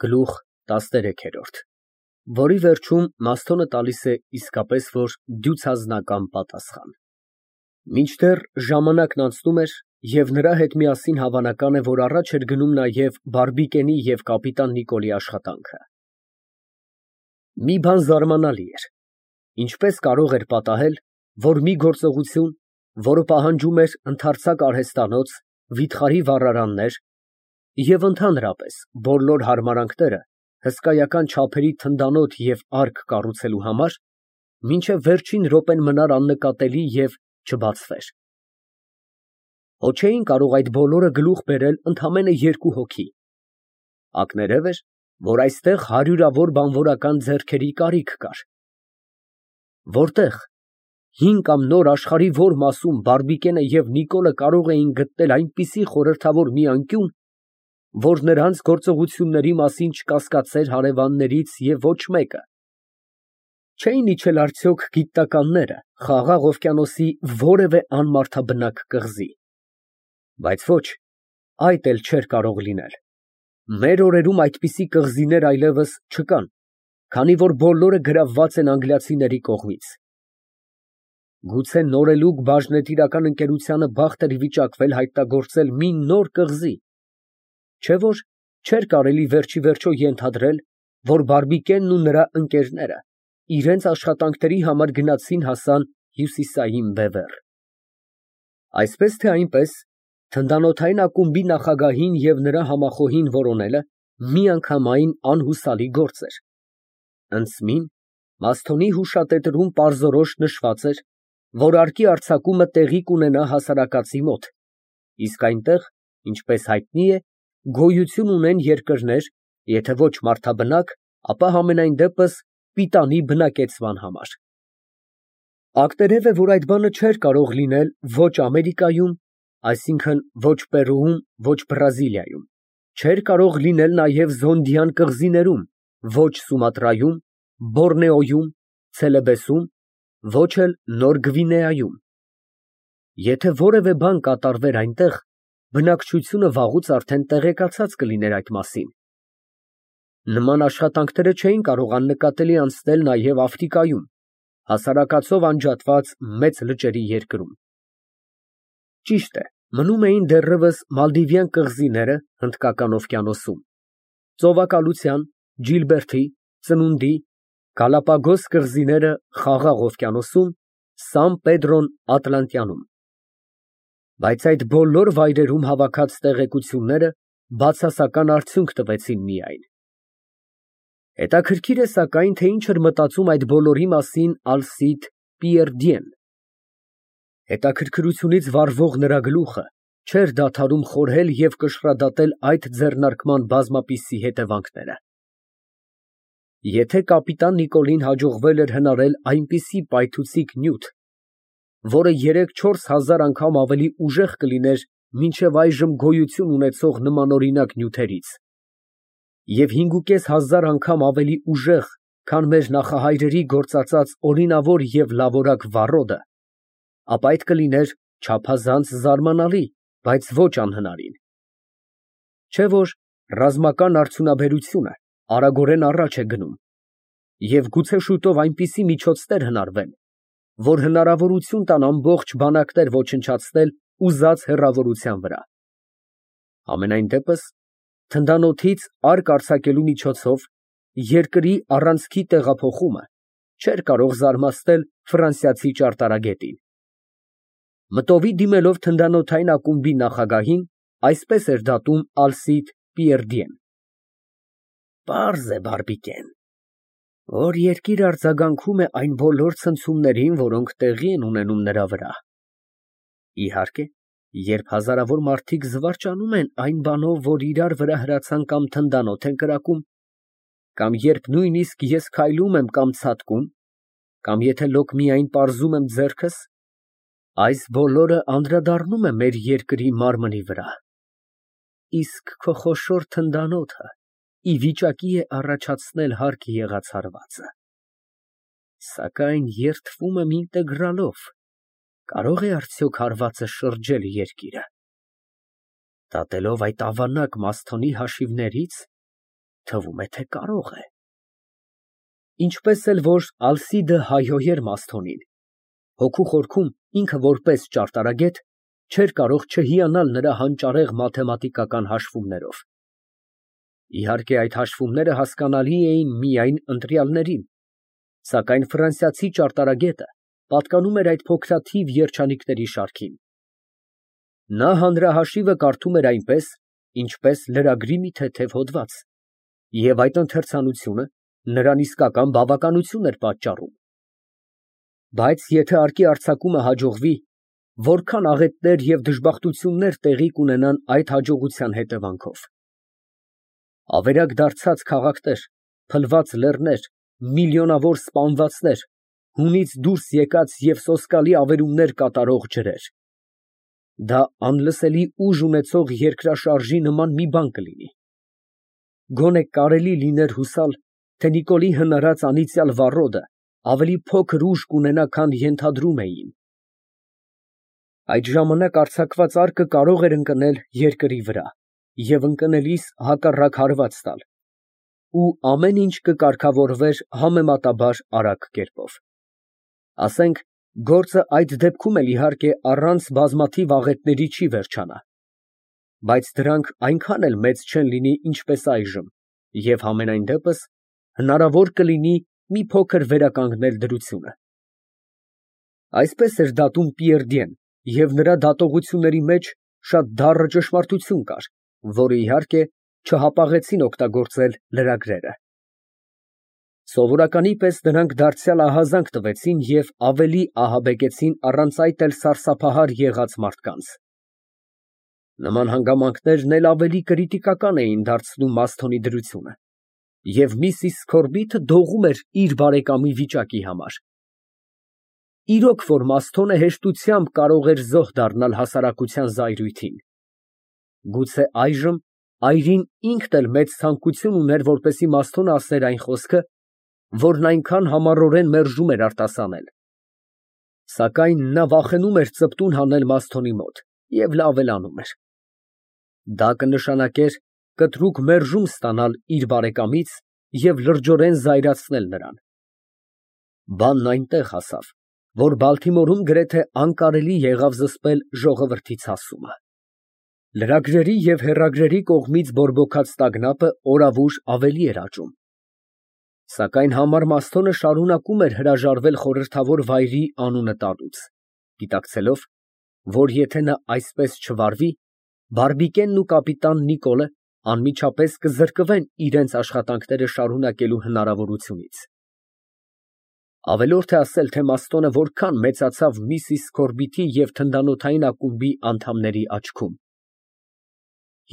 Գլուխ 13, որի վերջում Մասթոնը տալիս է իսկապես որ դյուցազնական պատասխան։ Մինչդեռ ժամանակն անցնում էր, և նրա հետ միասին հավանական է, որ առաջ էր գնում նաև Բարբիկենի և կապիտան Նիկոլի աշխատանքը։ Մի բան զարմանալի էր. ինչպես կարող էր պատահել, որ մի գործողություն, որը պահանջում էր ընդարձակ արհեստանոց, վիթխարի վառարաններ և ընդհանրապես բոլոր հարմարանքները հսկայական չափերի թնդանոթ և արկ կառուցելու համար, մինչև վերջին րոպեն մնար աննկատելի և չբացվեր։ Հո չէին կարող այդ բոլորը գլուխ բերել ընդամենը երկու հոգի։ Ակներև էր, որ այստեղ հարյուրավոր բանվորական ձեռքերի կարիք կար։ Որտե՞ղ, հին կամ նոր աշխարհի որ մասում Բարբիկենը և Նիկոլը կարող էին գտնել այնպիսի խորհրդավոր մի անկյուն, որ նրանց գործողությունների մասին չկասկածեր հարևաններից և ոչ մեկը։ Չէին իջել արդյոք գիտնականները Խաղաղ օվկիանոսի որևէ անմարդաբնակ կղզի։ Բայց ոչ, այդ էլ չէր կարող լինել։ Մեր օրերում այդպիսի կղզիներ այլևս չկան, քանի որ բոլորը գրավված են անգլիացիների կողմից։ Գուցե նորելուկ բաժնետիրական ընկերությանը բախտ էր վիճակվել հայտնագործել մի նոր կղզի, չէ՞ որ չէր կարելի վերջիվերջո ենթադրել, որ Բարբիկենն ու նրա ընկերները իրենց աշխատանքների համար գնացին հասան հյուսիսային բևեռ։ Այսպես թե այնպես, թնդանոթային ակումբի նախագահին և նրա համախոհին որոնելը միանգամայն անհուսալի գործ էր։ Ընդսմին Մասթոնի հուշատետրում պարզորոշ նշված էր, որ արկի արձակումը տեղի կունենա հասարակածի մոտ, իսկ այնտեղ, ինչպես հայտնի է, գոյություն ունեն երկրներ, եթե ոչ մարդաբնակ, ապա համենայն դեպս պիտանի բնակեցման համար։ Ակտերև է, որ այդ բանը չէր կարող լինել ոչ Ամերիկայում, այսինքն ոչ Պերուում, ոչ Բրազիլիայում, չէր կարող լինել նաև Զոնդյան կղզիներում, ոչ Սումատրայում, Բորնեոյում, Ցելեբեսում, ոչ էլ Նոր Գվինեայում։ Եթե որևէ բան կատարվեր այնտեղ, բնակչությունը վաղուց արդեն տեղեկացած կլիներ այդ մասին։ Նման աշխատանքները չէին կարող աննկատելի անցնել նաև Աֆրիկայում, հասարակածով անջատված մեծ լճերի երկրում։ Ճիշտ է, մնում էին դեռևս Մալդիվյան կղզիները Հնդկական օվկիանոսում, ծովակալության, Ջիլբերթի, Ծնունդի, Գալապագոս կղզիները Խաղաղ օվկիանոսում, Սան Պեդրոն Ատլանտյանում։ Բայց այդ բոլոր վայրերում հավաքած տեղեկությունները բացասական արդյունք տվեցին միայն։ Հետաքրքիր է սակայն, թե ինչ էր մտածում այդ բոլորի մասին Ալսիդ Պիերդիեն։ Հետաքրքրությունից վառվող նրա գլուխը չէր դադարում խորհել և կշռադատել այդ ձեռնարկման բազմապիսի հետևանքները։ Եթե կապիտան Նիկոլին հաջողվել էր հնարել այնպիսի պայթուցիկ նյութ, որը 3-4 հազար անգամ ավելի ուժեղ կլիներ մինչև այժմ գոյություն ունեցող նմանօրինակ նյութերից, և 5,5 անգամ ավելի ուժեղ, քան մեր նախահայրերի գործածած օրինավոր և լավորակ վառոդը, ապա այդ կլիներ չափազանց զարմանալի, բայց ոչ անհնարին։ Չէ՞ որ ռազմական արդյունաբերությունը արագորեն առաջ է գնում, և գուցե շուտով այնպիսի միջոցներ հնարվեն, որ հնարավորություն տան ամբողջ բանակներ ոչնչացնել ուզած հեռավորության վրա։ Համենայն դեպս, թնդանոթից արկ արձակելու միջոցով երկրի առանցքի տեղափոխումը չէր կարող զարմացնել ֆրանսիացի ճարտարագետին։ Մտովի դիմելով թնդանոթային ակումբի նախագահին, այսպես էր դատում Ալսիդ Պիերդիեն. Պարզ է, Բարբիկեն, որ երկիրը արձագանքում է այն բոլոր ցնցումներին, որոնք տեղի են ունենում նրա վրա։ Իհարկե, երբ հազարավոր մարդիկ զվարճանում են այն բանով, որ իրար վրա հրացան կամ թնդանոթ են կրակում, կամ երբ նույնիսկ ես քայլում եմ կամ ցատկում, կամ եթե լոկ միայն պարզում եմ ձեռքս, այս բոլորը անդրադառնում է մեր երկրի մարմնի վրա, իսկ քո խոշոր թնդանոթը ի վիճակի է առաջացնել հարկ եղած հարվածը։ Սակայն երդվում եմ ինտեգրալով, կարո՞ղ է արդյոք հարվածը շրջել երկիրը։ Դատելով այդ ավանակ Մասթոնի հաշիվներից, Թվում է, թե կարող է։ Ինչպես էլ որ Ալսիդը հայհոյեր Մասթոնին, հոգու խորքում ինքը որպես ճարտարագետ չէր կարող չհիանալ նրա հանճարեղ մաթեմատիկական հաշվումներով։ Իհարկե, այդ հաշվումները հասկանալի էին միայն ընտրյալներին, սակայն ֆրանսիացի ճարտարագետը պատկանում էր այդ փոքրաթիվ երջանիկների շարքին։ Նա հանրահաշիվը կարդում էր այնպես, ինչպես լրագրի մի թեթև հոդված, և այդ ընթերցանությունը նրան իսկական բավականություն էր պատճառում։ Բայց եթե արկի արձակումը հաջողվի, որքան աղետներ և դժբախտություններ տեղի կունենան այդ հաջողության հետևանքով։ Ավերակ դարձած քաղաքներ, փլված լեռներ, միլիոնավոր սպանվածներ, հունից դուրս եկած և սոսկալի ավերումներ կատարող ջրեր։ Դա անլսելի ուժ ունեցող երկրաշարժի նման մի բան կլինի։ Գոնե կարելի լիներ հուսալ, թե Նիկոլի հնարած անիծյալ վառոդը ավելի փոքր ուժ կունենա, քան ենթադրում էին։ Այդ ժամանակ արձակված արկը կարող էր ընկնել երկրի վրա և ընկնելիս հակառակ հարված տալ, ու ամեն ինչ կկարգավորվեր համեմատաբար արագ կերպով։ Ասենք, գործը այդ դեպքում էլ իհարկե առանց բազմաթիվ աղետների չի վերջանա, բայց դրանք այնքան էլ մեծ չեն լինի, ինչպես այժմ, և համենայն դեպս հնարավոր կլինի մի փոքր վերականգնել դրությունը։ Այսպես էր դատում Պիերդիեն, և նրա դատողությունների մեջ շատ դառը ճշմարտություն կար, որը, իհարկե, չհապաղեցին օգտագործել լրագրերը։ Սովորականի պես նրանք դարձյալ ահազանգ տվեցին և ավելի ահաբեկեցին առանց այդ էլ սարսափահար եղած մարդկանց։ Նման հանգամանքներն էլ ավելի կրիտիկական էին դարձնում Մասթոնի դրությունը, և միսիս Սքորբիթը դողում էր իր բարեկամի վիճակի համար։ Իրոք որ Մասթոնը հեշտությամբ կարող էր զոհ դառնալ հասարակության զայրույթին։ Գուցե այժմ այրին ինքն էլ մեծ ցանկություն ուներ, որպեսզի Մասթոնը ասեր այն խոսքը, որն այնքան համառորեն մերժում էր արտասանել։ Սակայն նա վախենում էր ծպտուն հանել Մասթոնի մոտ և լավ էլ անում էր։ Դա կնշանակեր կտրուկ մերժում ստանալ իր բարեկամից և լրջորեն զայրացնել նրան։ Բանն այնտեղ հասավ, որ Բալթիմորում գրեթե անկարելի եղավ զսպել ժողովրդի ցասումը։ Լրագրերի և հեռագրերի կողմից բորբոքած տագնապը օրավուր ավելի էր աճում։ Սակայն համառ Մասթոնը շարունակում էր հրաժարվել խորհրդավոր վայրի անունը տալուց, գիտակցելով, որ եթե նա այսպես չվարվի, բարբիկենն ու կապիտան Նիկոլը անմիջապես կզրկվեն իրենց աշխատանքները շարունակելու հնարավորությունից։ Ավելորդ է ասել, թե Մաստոնը որքան մեծացավ միսիս Սքորբիթի և թնդանոթային ակումբի անդամների աչքում։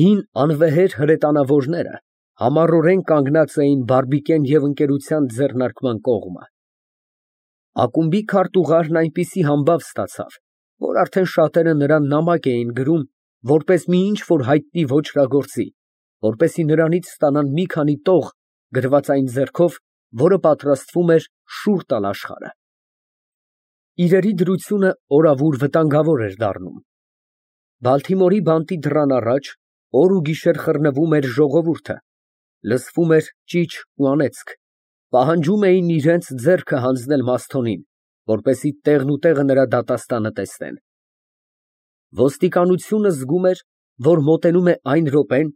Հին անվեհեր հրետանավորները համառորեն կանգնած էին բարբիկեն և ընկերության ձեռնարկման կողմը։ Ակումբի քարտուղարն այնպիսի համբավ ստացավ, որ արդեն շատերը նրան նամակ էին գրում, որպես մի ինչ֊որ հայտնի ոճրագործի, որպեսզի նրանից ստանան մի քանի տող գրված այն ձեռքով, որը պատրաստվում էր շուռ տալ աշխարհը։ Իրերի դրությունը օրավուր վտանգավոր էր դառնում։ Բալթիմորի բանտի դռան առաջ օր ու գիշեր խռնվում էր ժողովուրդը, լսվում էր ճիչ ու անեծք, պահանջում էին իրենց ձեռքը հանձնել Մասթոնին, որպեսզի տեղնուտեղը նրա դատաստանը տեսնեն։ Ոստիկանությունը զգում էր, որ մոտենում է այն րոպեն,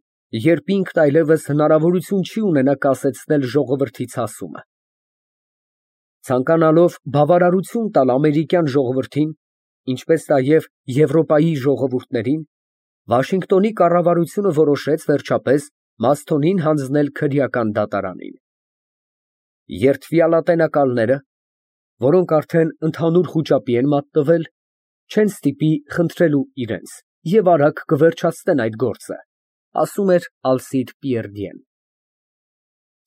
երբ ինքն այլևս հնարավորություն չի ունենա կասեցնել ժողովրդի ցասումը։ Ցանկանալով բավարարություն տալ ամերիկյան ժողովրդին, ինչպես նաև Եվրոպայի ժողովուրդներին, Վաշինգտոնի կառավարությունը որոշեց վերջապես Մասթոնին հանձնել քրեական դատարանին։ Երդվյալատենակալները, որոնք արդեն ընդհանուր խուճապի են մատնվել, չեն ստիպի խնդրելու իրենց և արագ կվերջացնեն այդ գործը, ասում էր Ալսիդ Պիերդիեն։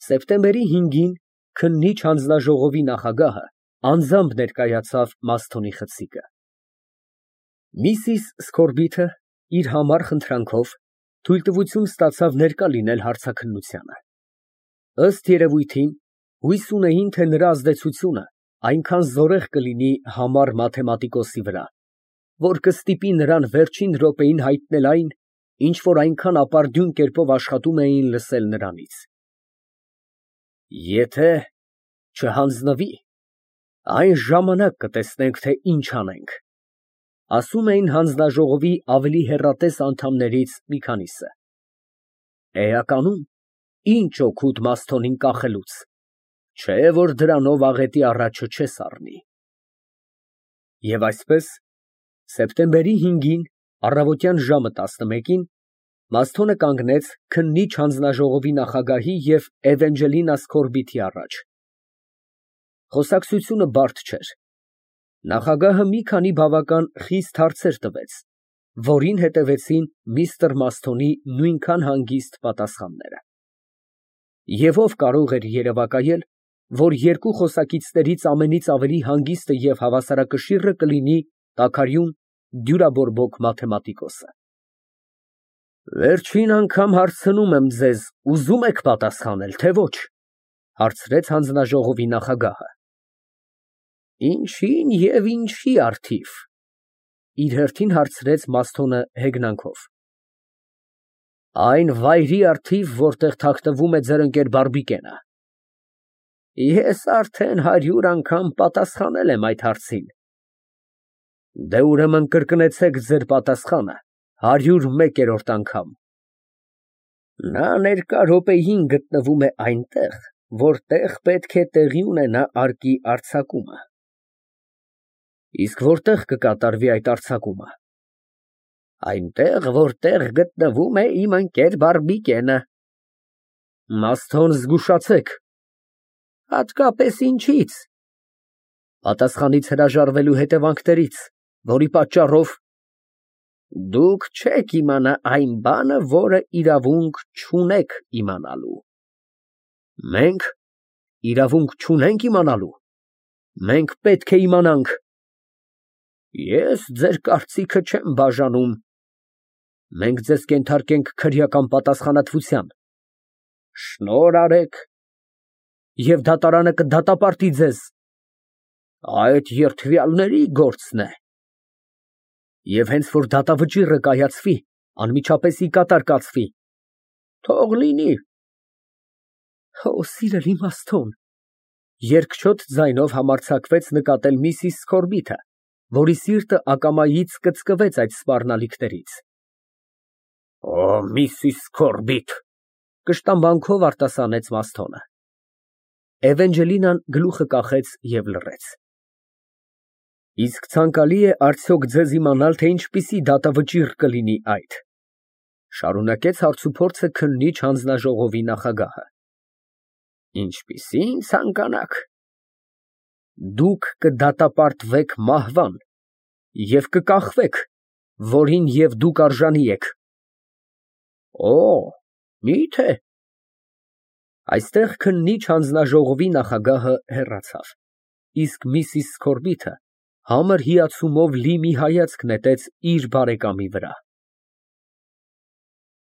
Սեպտեմբերի 5-ին քննիչ հանձնաժողովի նախագահը անձամբ ներկայացավ Մասթոնի խցիկը։ Միսիս Սքորբիթը իր համառ խնդրանքով թույլտվություն ստացավ ներկա լինել հարցաքննությանը։ Ըստ երևույթին, հույս ունեին, թե նրա ազդեցությունը այնքան զորեղ կլինի համառ մաթեմատիկոսի վրա, որ կստիպի նրան վերջին րոպեին հայտնել այն, ինչ որ այնքան ապարդյուն կերպով աշխատում էին լսել նրանից։ Եթե չհանձնվի, այն ժամանակ կտեսնենք, թե ինչ անենք, ասում էին հանձնաժողովի ավելի հեռատես անդամներից մի քանիսը։ Էականում ինչ օգուտ Մասթոնին կախելուց, չէ որ դրանով աղետի առաջը չես առնի։ Եվ այսպես, սեպտեմբերի 5-ին, առավոտյան ժամը 11-ին, Մասթոնը կանգնեց քննիչ հանձնաժողովի նախագահի և Էվենջելինա Սքորբիթի առաջ։ Խոսակցությունը բարդ չէր։ Նախագահը մի քանի բավական խիստ հարցեր տվեց, որին հետևեցին միստր Մասթոնի նույնքան հանգիստ պատասխանները։ Եվ ով կարող էր երևակայել, որ երկու խոսակիցներից ամենից ավելի հանգիստը և հավասարակշիռը կլինի տաքարյուն դյուրաբորբոք մաթեմատիկոսը։ Վերջին անգամ հարցնում եմ ձեզ, ուզո՞ւմ եք պատասխանել, թե ոչ, հարցրեց հանձնաժողովի նախագահը։ Ինչին և ինչի առթիվ, իր հերթին հարցրեց Մասթոնը հեգնանքով։ Այն վայրի առթիվ, որտեղ թաքնվում է ձեր ընկեր Բարբիկենը։ Ես արդեն 100 անգամ պատասխանել եմ այդ հարցին։ Դե ուրեմն կրկնեցեք ձեր պատասխանը 101-րդ անգամ։ Նա ներկա րոպեին գտնվում է այնտեղ, որտեղ պետք է տեղի ունենա արկի արձակումը։ Իսկ որտեղ կկատարվի այդ արձակումը։ Այնտեղ, որտեղ գտնվում է իմ ընկեր Բարբիկենը։ Մասթոն, զգուշացեք։ Հատկապես ինչից։ Պատասխանից հրաժարվելու հետևանքներից, որի պատճառով դուք չեք իմանա այն բանը, որը իրավունք չունեք իմանալու։ Մենք իրավունք չունենք իմանալու։ Մենք պետք է իմանանք։ Ես ձեր կարծիքը չեմ բաժանում։ Մենք ձեզ կենթարկենք քրեական պատասխանատվության։ Շնորհ արեք։ Եվ դատարանը կդատապարտի ձեզ։ Այդ երդվյալների գործն է։ Եվ հենց որ դատավճիռը կայացվի, անմիջապես ի կատար կացվի։ Թող լինի։ Օ, սիրելի Մասթոն, երկչոտ ձայնով համարձակվեց նկատել միսիս Սքորբիթը, որի սիրտը ակամայից կծկվեց այդ սպառնալիքներից։ Օ, միսիս Սքորբիթ, կշտամբանքով արտասանեց Մասթոնը։ Էվենջելինան գլուխը կախեց և լռեց։ Իսկ ցանկալի է արդյոք ձեզ իմանալ, թե ինչպիսի դատավճիռ կլինի այդ, շարունակեց հարցուփորձը քննիչ հանձնաժողովի նախագահը։ Ինչպիսին ցանկանաք։ Դուք կդատապարտվեք մահվան և կկախվեք, որին և դուք արժանի եք։ Օ, մի՞թե։ Այստեղ քննիչ հանձնաժողովի նախագահը հեռացավ, իսկ միսիս Սքորբիթը համր հիացումով լի մի հայացք նետեց իր բարեկամի վրա։